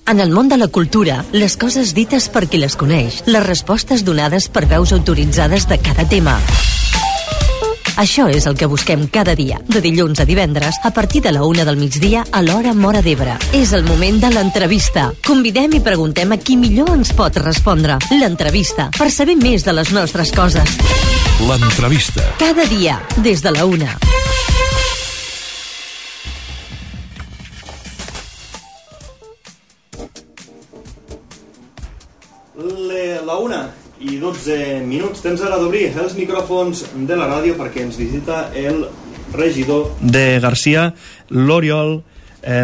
En el món de la cultura, les coses dites per qui les coneix, les respostes donades per veus autoritzades de cada tema. Això és el que busquem cada dia, de dilluns a divendres, a partir de la 1 del migdia a l'hora Móra d'Ebre. És el moment de l'entrevista. Convidem i preguntem a qui millor ens pot respondre. L'entrevista, per saber més de les nostres coses. L'entrevista. Cada dia, des de la 1. La 1 i 12 minuts. Tens ara d'obrir els micròfons de la ràdio perquè ens visita el regidor de Garcia, l'Oriol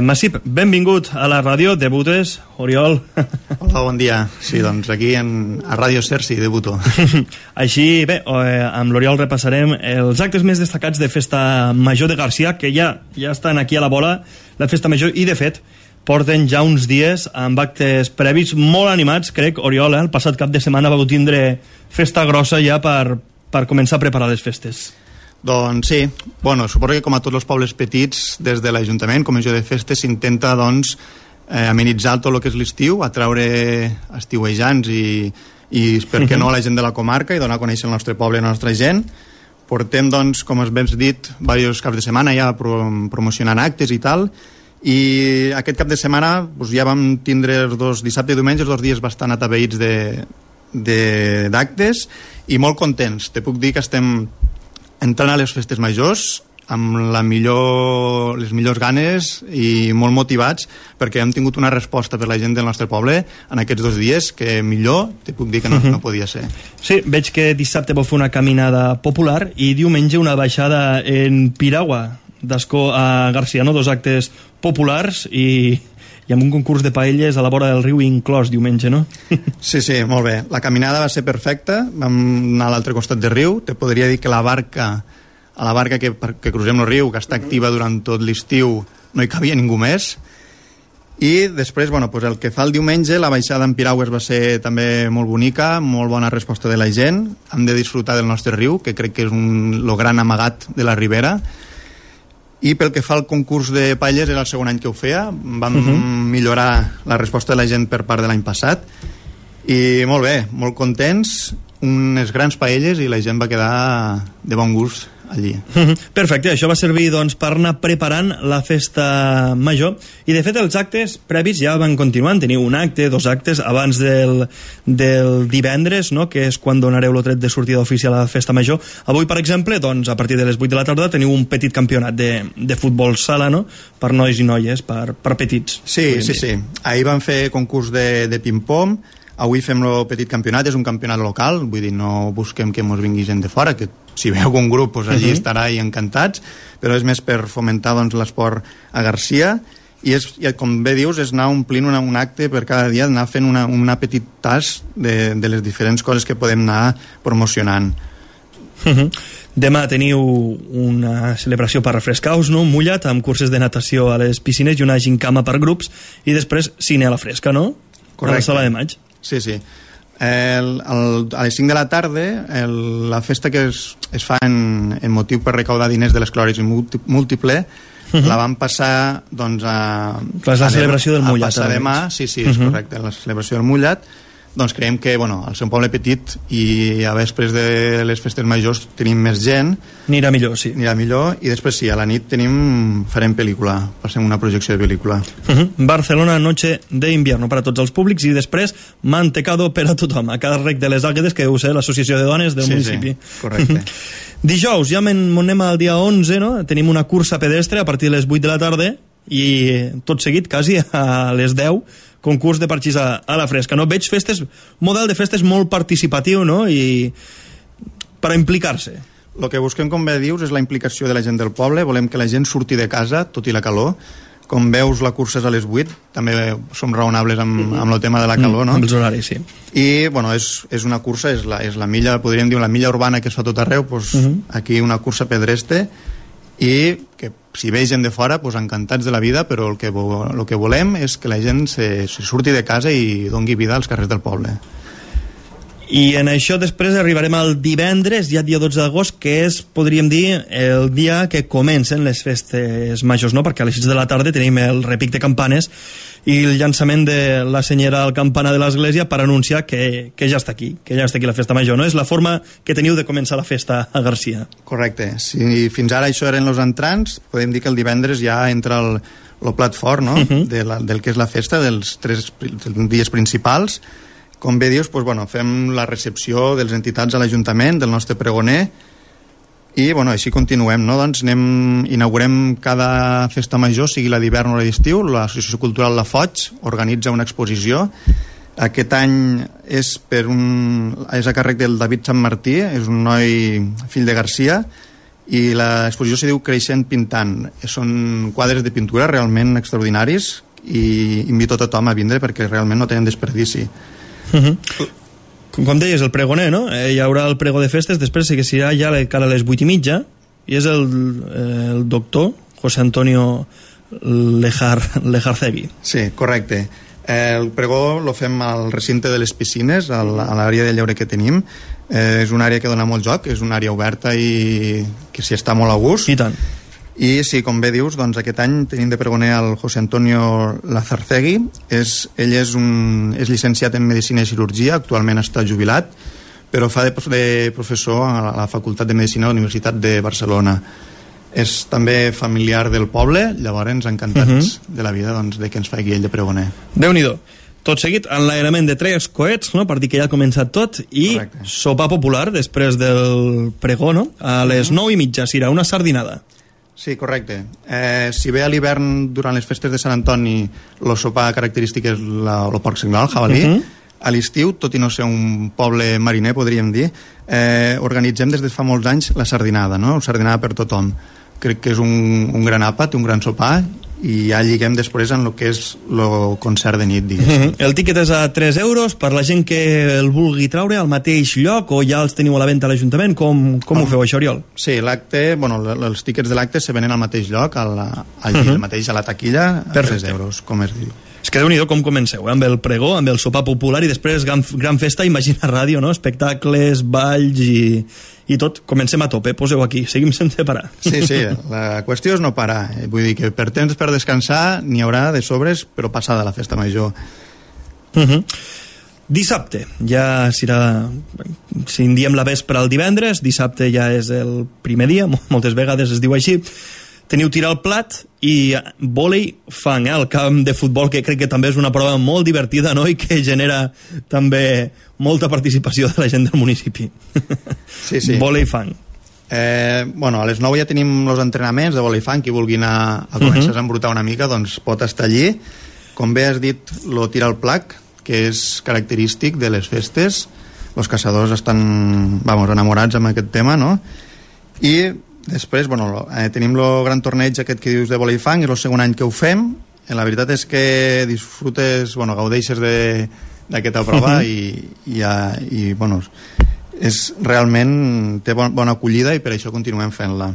Massip. Benvingut a la ràdio. Debutes, Oriol? Hola, bon dia. Sí, doncs aquí a Ràdio Ser sí, debuto. Així, bé, amb l'Oriol repassarem els actes més destacats de Festa Major de Garcia, que ja estan aquí a la bola, la Festa Major, i de fet porten ja uns dies amb actes previs molt animats, crec, Oriol, el passat cap de setmana vau tindre festa grossa ja per començar a preparar les festes. Doncs sí, bueno, suposo que com a tots els pobles petits, des de l'Ajuntament, Comissió de Festes, s'intenta doncs amenitzar tot el que és l'estiu, atraure estiuejants i per què no, la gent de la comarca, i donar a conèixer el nostre poble i la nostra gent. Portem, doncs, com us ben dit, diversos caps de setmana ja promocionant actes i tal, i aquest cap de setmana doncs, ja vam tindre els dos, dissabte i diumenge, els 2 dies bastant atapeïts d'actes i molt contents. Te puc dir que estem entrant a les festes majors amb les millors ganes i molt motivats, perquè hem tingut una resposta per la gent del nostre poble en aquests 2 dies que millor te puc dir que no podia ser. Sí, veig que dissabte vau fer una caminada popular i diumenge una baixada en piragua d'Ascó a Garcia, no? 2 actes populars i amb un concurs de paelles a la vora del riu inclòs diumenge, no? Sí, molt bé. La caminada va ser perfecta, vam anar a l'altre costat del riu. Te podria dir que la barca que crucem el riu, que està activa durant tot l'estiu, no hi cabia ningú més. I després, bueno, pues el que fa el diumenge, la baixada en piragües va ser també molt bonica, molt bona resposta de la gent. Hem de disfrutar del nostre riu, que crec que és el gran amagat de la ribera. I pel que fa al concurs de paelles, era el segon any que ho feia, vam millorar la resposta de la gent per part de l'any passat, i molt bé, molt contents, unes grans paelles i la gent va quedar de bon gust allí. Perfecte, això va servir doncs, per anar preparant la festa major, i de fet els actes previs ja van continuant. Teniu un acte, 2 actes abans del divendres, no? Que és quan donareu el tret de sortida oficial a la festa major. Avui, per exemple, doncs, a partir de les 8 de la tarda teniu un petit campionat de futbol sala, no? Per nois i noies, per petits. Sí. Ahir vam fer concurs de ping-pong. Avui fem el petit campionat, és un campionat local, vull dir, no busquem que mos vingui gent de fora, que si veu algun grup doncs allí estarà i encantats, però és més per fomentar doncs, l'esport a Garcia, i com bé dius, és anar omplint un acte per cada dia, anar fent una petit tas de les diferents coses que podem anar promocionant. Demà teniu una celebració per refrescar-vos, no? Mullat, amb curses de natació a les piscines i una gincama per grups, i després cine a la fresca, no? Correcte. A la sala de maig. Sí. A les 5 de la tarda, la festa que es fa en motiu per recaudar diners de l'esclerosi múltiple, la vam passar doncs, la celebració del mullat. A passar demà, sí, és correcte, la celebració del mullat. Doncs creiem que, al ser un poble petit i a vespres de les festes majors tenim més gent. Anirà millor, sí. I després sí, a la nit farem pel·lícula, passem una projecció de pel·lícula. Barcelona, noche de invierno per a tots els públics, i després mantecado per a tothom, a càrrec de les Àguedes, que deu ser l'associació de dones del municipi. Sí, correcte. Dijous, ja anem al dia 11, no? Tenim una cursa pedestre a partir de les 8 de la tarda, i tot seguit, quasi a les 10, concurs de parxís a la fresca, no? Veig model de festes molt participatiu, no? I per a implicar-se. El que busquem, com bé dius, és la implicació de la gent del poble. Volem que la gent surti de casa, tot i la calor. Com veus, la cursa és a les 8. També som raonables amb el tema de la calor, no? Amb els horaris, sí. I, és una cursa, és la milla, podríem dir, la milla urbana que es fa tot arreu, aquí una cursa pedestre, i que si ve gent de fora, encantats de la vida, però el que volem és que la gent se surti de casa i doni vida als carrers del poble. I en això després arribarem al divendres, ja dia 12 d'agost, que és, podríem dir, el dia que comencen les festes majors, no? Perquè a les 6 de la tarda tenim el repic de campanes i el llançament de la senyera al campanar de l'església per anunciar que ja està aquí, la festa major, no? És la forma que teniu de començar la festa a Garcia. Correcte. Si fins ara això eren els entrants, podem dir que el divendres ja entra el plat fort, no? Del que és la festa, dels 3 dies principals. Com bé dius, doncs, fem la recepció de les entitats a l'Ajuntament, del nostre pregoner, i així continuem, no? Doncs inaugurem cada festa major, sigui la d'hivern o la d'estiu. L'Associació Cultural La Foig organitza una exposició. Aquest any és a càrrec del David Sant Martí, és un noi fill de Garcia, i l'exposició se diu Creixent Pintant. Són quadres de pintura realment extraordinaris i invito a tothom a vindre perquè realment no tenen desperdici. Com deies, el pregoner, no? Hi haurà el pregó de festes, després seguirà ja cara a les 8:30 i és el doctor José Antonio Lejarcegui. Sí, correcte. El pregó lo fem al recinte de les piscines, a l'àrea de lleure que tenim. És una àrea que dona molt joc, és una àrea oberta i que s'hi està molt a gust. I tant. I sí, com bé dius, doncs aquest any tenim de pregoner el José Antonio Lejarcegui. Ell és llicenciat en Medicina i Cirurgia, actualment està jubilat, però fa de professor a la Facultat de Medicina de la Universitat de Barcelona. És també familiar del poble, llavors encantats de la vida de que ens faci ell de pregoner. Déu-n'hi-do. Tot seguit, enlairament de 3 coets, no? Per dir que ja ha començat tot, i correcte. Sopar popular després del pregó, no? A les 9:30 serà una sardinada. Sí, correcte. Si bé a l'hivern, durant les festes de Sant Antoni, el sopar característic és el porc senglar, el jabalí, a l'estiu, tot i no ser un poble mariner, podríem dir, organitzem des de fa molts anys la sardinada, no? Sardinada per tothom. Crec que és un gran àpat, un gran sopar, i ja lliguem després en el que és el concert de nit, diguéssim. El tíquet és a 3 euros per la gent que el vulgui traure al mateix lloc o ja els teniu a la venda a l'Ajuntament? Com ho feu, això, Oriol? Sí, l'acte, els tíquets de l'acte se venen al mateix lloc, al mateix, a la taquilla, a 3 euros, com es diu. És que Déu-n'hi-do com comenceu, amb el pregó, amb el sopar popular i després gran festa, Imagina Ràdio, no? Espectacles, balls i tot. Comencem a tope, poseu aquí, seguim sense parar. Sí, la qüestió és no parar. Vull dir que per temps per descansar n'hi haurà de sobres, però passada la festa major. Dissabte, ja serà, si en diem la vespre al divendres, dissabte ja és el primer dia, moltes vegades es diu així. Teniu tirar al plat i vòlei fang, el camp de futbol, que crec que també és una prova molt divertida, no? I que genera també molta participació de la gent del municipi. Sí. Vòlei fang. A les 9 ja tenim els entrenaments de vòlei fang. Qui vulgui anar a començar a embrutar una mica, doncs pot estar allí. Com bé has dit, lo tira al plat, que és característic de les festes. Els caçadors estan, enamorats amb aquest tema, no? I després, tenim el gran torneig aquest que dius de vòlei fang, és el segon any que ho fem. La veritat és que disfrutes, gaudeixes d'aquesta prova i és realment té bona acollida i per això continuem fent-la.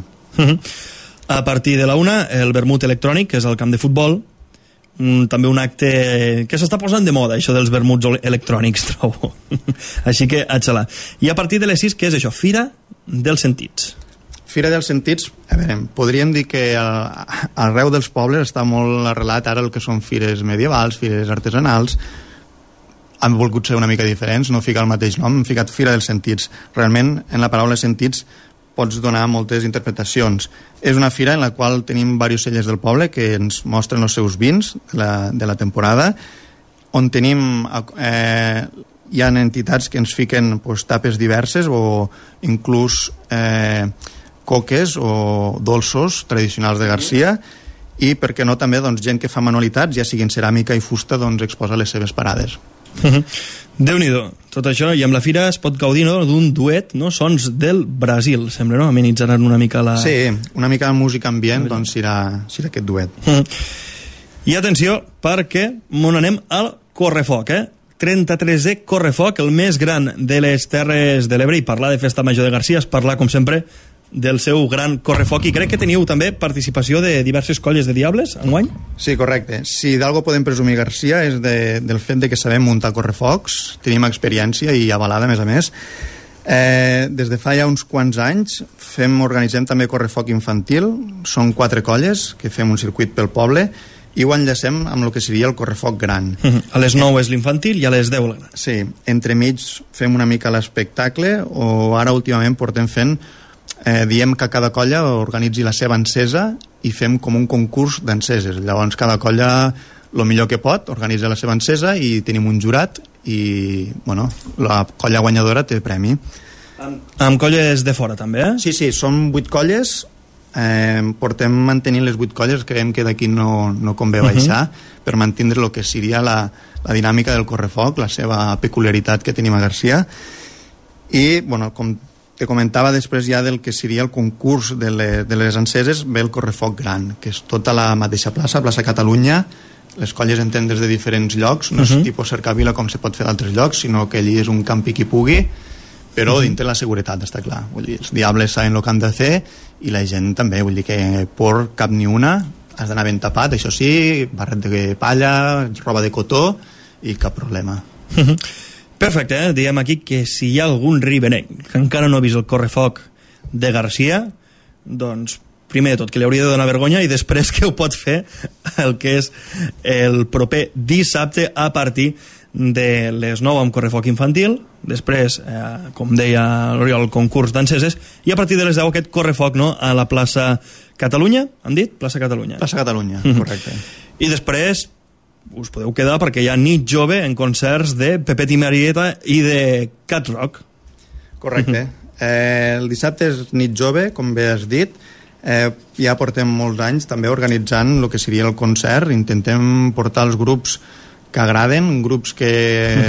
A partir de la 1, el vermut electrònic, que és el camp de futbol, també un acte que s'està posant de moda, això dels vermuts electrònics, trobo. Així que a xalar. I a partir de les 6, què és això? Fira dels Sentits. Fira dels Sentits, podríem dir que arreu dels pobles està molt arrelat ara el que són fires medievals, fires artesanals. Han volgut ser una mica diferents, no ficar el mateix nom, han ficat Fira dels Sentits. Realment, en la paraula sentits pots donar moltes interpretacions. És una fira en la qual tenim diversos cellers del poble que ens mostren els seus vins de la temporada, on tenim hi ha entitats que ens fiquen tapes diverses o inclús coques o dolços tradicionals de Garcia, i per què no també gent que fa manualitats, ja siguin ceràmica i fusta, exposa les seves parades. Déu-n'hi-do, tot això, i amb la fira es pot gaudir d'un duet, sons del Brasil, sembla, no? Amenitzaran una mica la... Sí, una mica de música ambient, serà aquest duet. I atenció, perquè anem al Correfoc, 33è Correfoc, el més gran de les Terres de l'Ebre, i parlar de Festa Major de Garcia és parlar, com sempre, del seu gran correfoc, i crec que teniu també participació de diverses colles de diables enguany? Sí, correcte. Si d'algo podem presumir, Garcia, és del fet de que sabem muntar correfocs, tenim experiència i avalada, a més. Des de fa ja uns quants anys organitzem també correfoc infantil, són 4 colles que fem un circuit pel poble i ho enllacem amb el que seria el correfoc gran. A les 9 és l'infantil i a les 10 el gran. Sí, entremig fem una mica l'espectacle, o ara últimament portem fent, diem que cada colla organitzi la seva encesa i fem com un concurs d'enceses. Llavors cada colla, el millor que pot, organitza la seva encesa i tenim un jurat i, bueno, la colla guanyadora té premi. Amb colles de fora també, eh? Sí, són 8 colles. Portem mantenint les 8 colles, creiem que d'aquí no convé baixar per mantindre el que seria la dinàmica del correfoc, la seva peculiaritat que tenim a Garcia. I, bueno, com te comentava, després ja del que seria el concurs de les enceses, ve el correfoc gran, que és tota la mateixa plaça Catalunya. Les colles en tenen des de diferents llocs, no és tipus cercavila com se pot fer d'altres llocs, sinó que allí és un campi qui pugui, però dintre la seguretat, està clar. Vull dir, els diables saben el que han de fer i la gent també, vull dir que por cap ni una, has d'anar ben tapat, això sí, barret de palla, roba de cotó i cap problema. Perfecte, diem aquí que si hi ha algun riberenc que encara no ha vist el correfoc de Garcia, doncs primer de tot que li hauria de donar vergonya i després que ho pot fer el que és el proper dissabte a partir de les 9 amb correfoc infantil, després, com deia l'Oriol, el concurs d'enceses, i a partir de les 10 aquest correfoc, no?, a la plaça Catalunya, han dit? Plaça Catalunya. Plaça Catalunya, correcte. I després us podeu quedar perquè hi ha nit jove en concerts de Pepet i Marieta i de Cat Rock. Correcte. El dissabte és nit jove, com bé has dit. Ja portem molts anys també organitzant el que seria el concert. Intentem portar els grups que agraden, grups que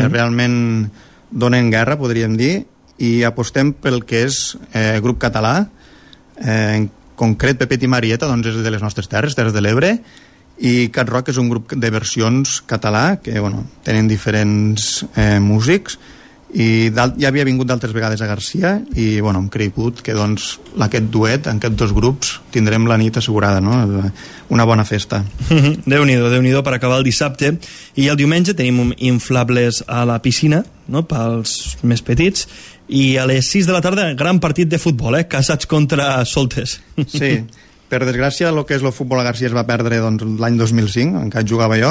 realment donen guerra, podríem dir, i apostem pel que és grup català, en concret Pepet i Marieta, doncs és de les nostres terres de l'Ebre, i Cat Rock és un grup de versions català que, bueno, tenen diferents músics, i ja havia vingut d'altres vegades a Garcia i, bueno, hem cregut que doncs aquest duet, en aquests 2 grups tindrem la nit assegurada, no? Una bona festa. Déu-n'hi-do per acabar el dissabte. I el diumenge tenim inflables a la piscina, no?, pels més petits, i a les 6 de la tarda gran partit de futbol, Casats contra Soltes. Sí, per desgràcia el que és el futbol a Garcia es va perdre doncs, l'any 2005, encara jugava jo,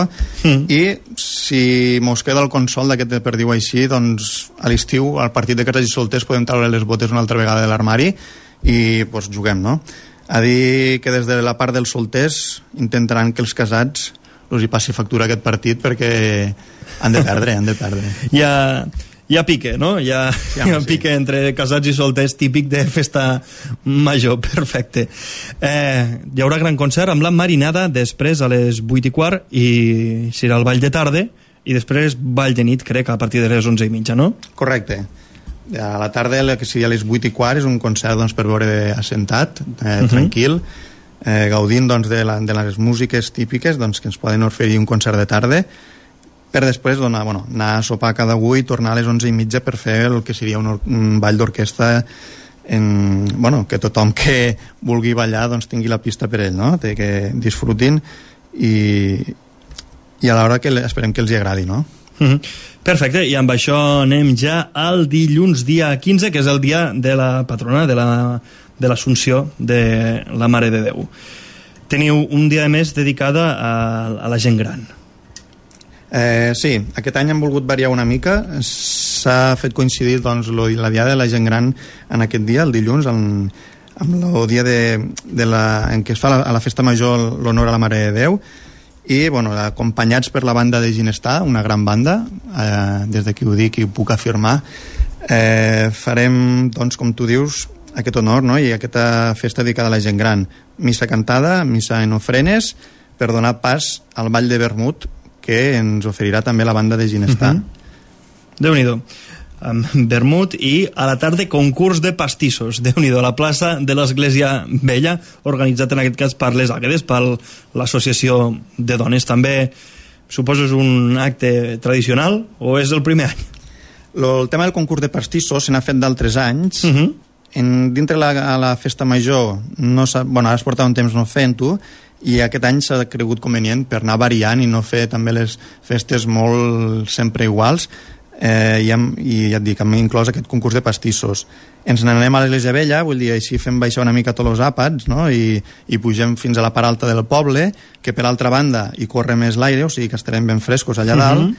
i si mos queda el consol d'aquest perdiu així, doncs a l'estiu al partit de Casats i Solters podem treure les botes una altra vegada de l'armari i doncs, juguem, no? A dir que des de la part dels solters intentaran que els casats els hi passi factura aquest partit perquè han de perdre. Hi ha pique, no? Hi ha pique entre casats i solters, típic de festa major, perfecte. Hi haurà gran concert amb la marinada, després a les 8:15, i serà el ball de tarda, i després ball de nit, crec, a partir de les 11:30, no? Correcte. A la tarda, que seria a les 8:15, és un concert doncs, per veure assentat, tranquil, gaudint doncs, de les músiques típiques doncs, que ens poden oferir un concert de tarda, per després anar a sopar cada avui i tornar a les 11:30 per fer el que seria un ball d'orquestra que tothom que vulgui ballar doncs, tingui la pista per ell, no? Que disfrutin i a l'hora que esperem que els hi agradi, no? Perfecte, i amb això anem ja al dilluns dia 15, que és el dia de la patrona, de l'Assumpció de la Mare de Déu. Teniu un dia més dedicada a la gent gran. Sí, aquest any hem volgut variar una mica. S'ha fet coincidir doncs, la diada de la gent gran en aquest dia, el dilluns, amb el dia en què es fa a la festa major l'honor a la Mare de Déu, i acompanyats per la banda de Ginestar, una gran banda, des d'aquí ho dic i ho puc afirmar, farem, doncs, com tu dius, aquest honor, no? I aquesta festa dedicada a la gent gran. Missa cantada, missa en ofrenes, per donar pas al ball de vermut que ens oferirà també la banda de Ginestar. Déu-n'hi-do. Vermut, i a la tarda concurs de pastissos. Déu-n'hi-do, a la plaça de l'Església Vella, organitzat en aquest cas per les Àguedes, per l'associació de dones. També, suposo, és un acte tradicional o és el primer any? El tema del concurs de pastissos se n'ha fet d'altres anys, dintre la festa major ara es porta un temps no fent-ho, i aquest any s'ha cregut convenient per anar variant i no fer també les festes molt sempre iguals, i ja et dic, hem inclòs aquest concurs de pastissos. Ens n'anem a l'Església Vella, vull dir, així fem baixar una mica tots els àpats, no? I pugem fins a la part alta del poble, que per altra banda hi corre més l'aire, o sigui que estarem ben frescos allà dalt,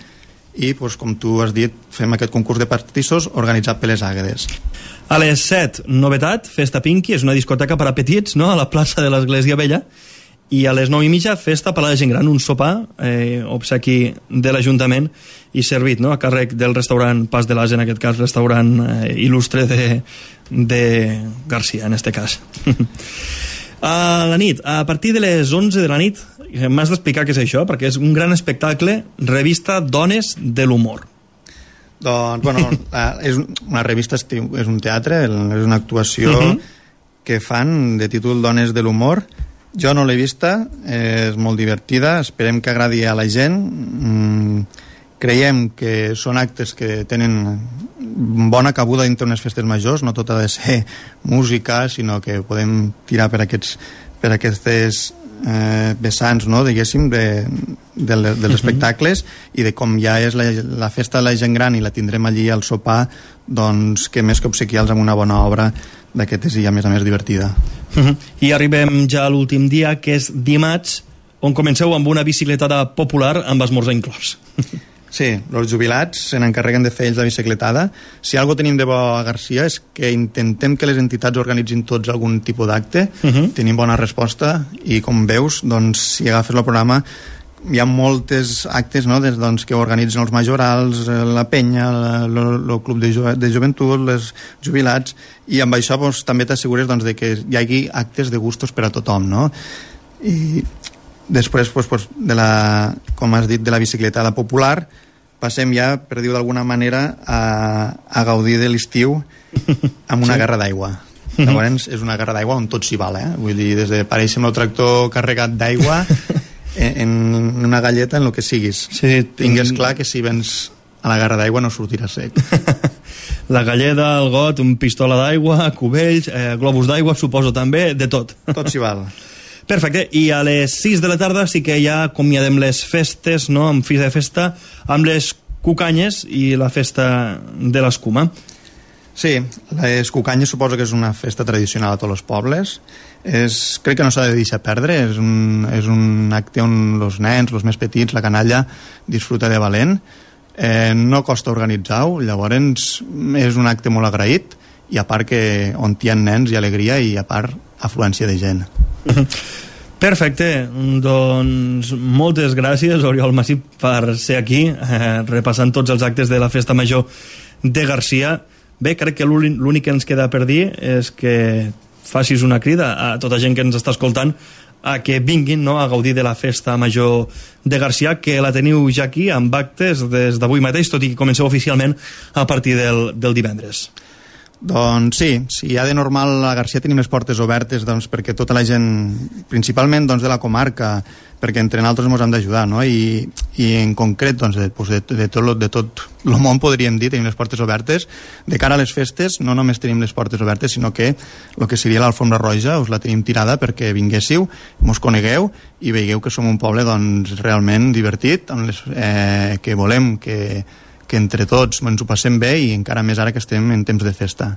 i doncs, com tu has dit, fem aquest concurs de pastissos organitzat per les Àguedes. A les 7, novetat, Festa Pinky, és una discoteca per a petits, no?, a la plaça de l'Església Vella, i a les 9:30 festa per a la gent gran, un sopar, obsequi de l'Ajuntament i servit, no?, a càrrec del restaurant Pas de l'As, en aquest cas restaurant il·lustre de Garcia, en este cas. A la nit, a partir de les 11 de la nit, m'has d'explicar què és això, perquè és un gran espectacle, revista Dones de l'Humor. Doncs, bueno, és una revista, és un teatre, és una actuació que fan de títol Dones de l'Humor. Jo no l'he vista, és molt divertida, esperem que agradi a la gent. Creiem que són actes que tenen bona cabuda dintre unes festes majors, no tot ha de ser música, sinó que podem tirar per aquestes vessants, no, diguéssim, dels espectacles, i de com ja és la festa de la gent gran i la tindrem allí al sopar, doncs que més que obsequiar-los amb una bona obra d'aquestes i a més divertida. I arribem ja a l'últim dia, que és dimarts, on comenceu amb una bicicletada popular amb esmorzar inclòs. Sí, els jubilats se n'encarreguen de fer ells la bicicletada. Si alguna cosa tenim de bo a Garcia és que intentem que les entitats organitzin tots algun tipus d'acte. Tenim bona resposta i, com veus, doncs, si agafes el programa, hi ha moltes actes, no?, doncs, que organitzen els majorals, la penya, el club de joventut, els jubilats, i amb això doncs, també t'assegures doncs, de que hi hagi actes de gustos per a tothom, no? I després, doncs, com has dit, de la bicicletada popular, passem ja, per dir-ho d'alguna manera, a gaudir de l'estiu amb una garra d'aigua. Llavors, és una garra d'aigua on tot s'hi val, Vull dir, des de parèixer amb el tractor carregat d'aigua en una galleta, en el que siguis. Sí, tingues clar que si vens a la garra d'aigua no sortirà sec. La galleda, el got, un pistola d'aigua, cubells, globus d'aigua, suposo també, de tot. Tot s'hi val. Perfecte, i a les 6 de la tarda sí que ja acomiadem les festes, no?, amb fi de festa, amb les cucanyes i la festa de l'escuma. Sí, les cucanyes suposo que és una festa tradicional a tots els pobles. Crec que no s'ha de deixar perdre, és un acte on els nens, els més petits, la canalla, disfruta de valent. No costa organitzar-ho, llavors és un acte molt agraït, i a part que on hi ha nens hi ha alegria i a part afluència de gent. Perfecte, doncs moltes gràcies, Oriol Massip, per ser aquí repassant tots els actes de la Festa Major de Garcia. Bé, crec que l'únic que ens queda per dir és que facis una crida a tota gent que ens està escoltant a que vinguin, no?, a gaudir de la Festa Major de Garcia, que la teniu ja aquí amb actes des d'avui mateix, tot i que comenceu oficialment a partir del divendres. Doncs sí, ja de normal a Garcia tenim les portes obertes, doncs, perquè tota la gent, principalment doncs, de la comarca, perquè entre nosaltres ens hem d'ajudar, no? I en concret doncs, de tot el món, podríem dir, tenim les portes obertes. De cara a les festes no només tenim les portes obertes, sinó que el que seria l'alfombra roja us la tenim tirada perquè vinguéssiu, mos conegueu i veieu que som un poble doncs, realment divertit, que volem que entre tots ens ho passem bé, i encara més ara que estem en temps de festa.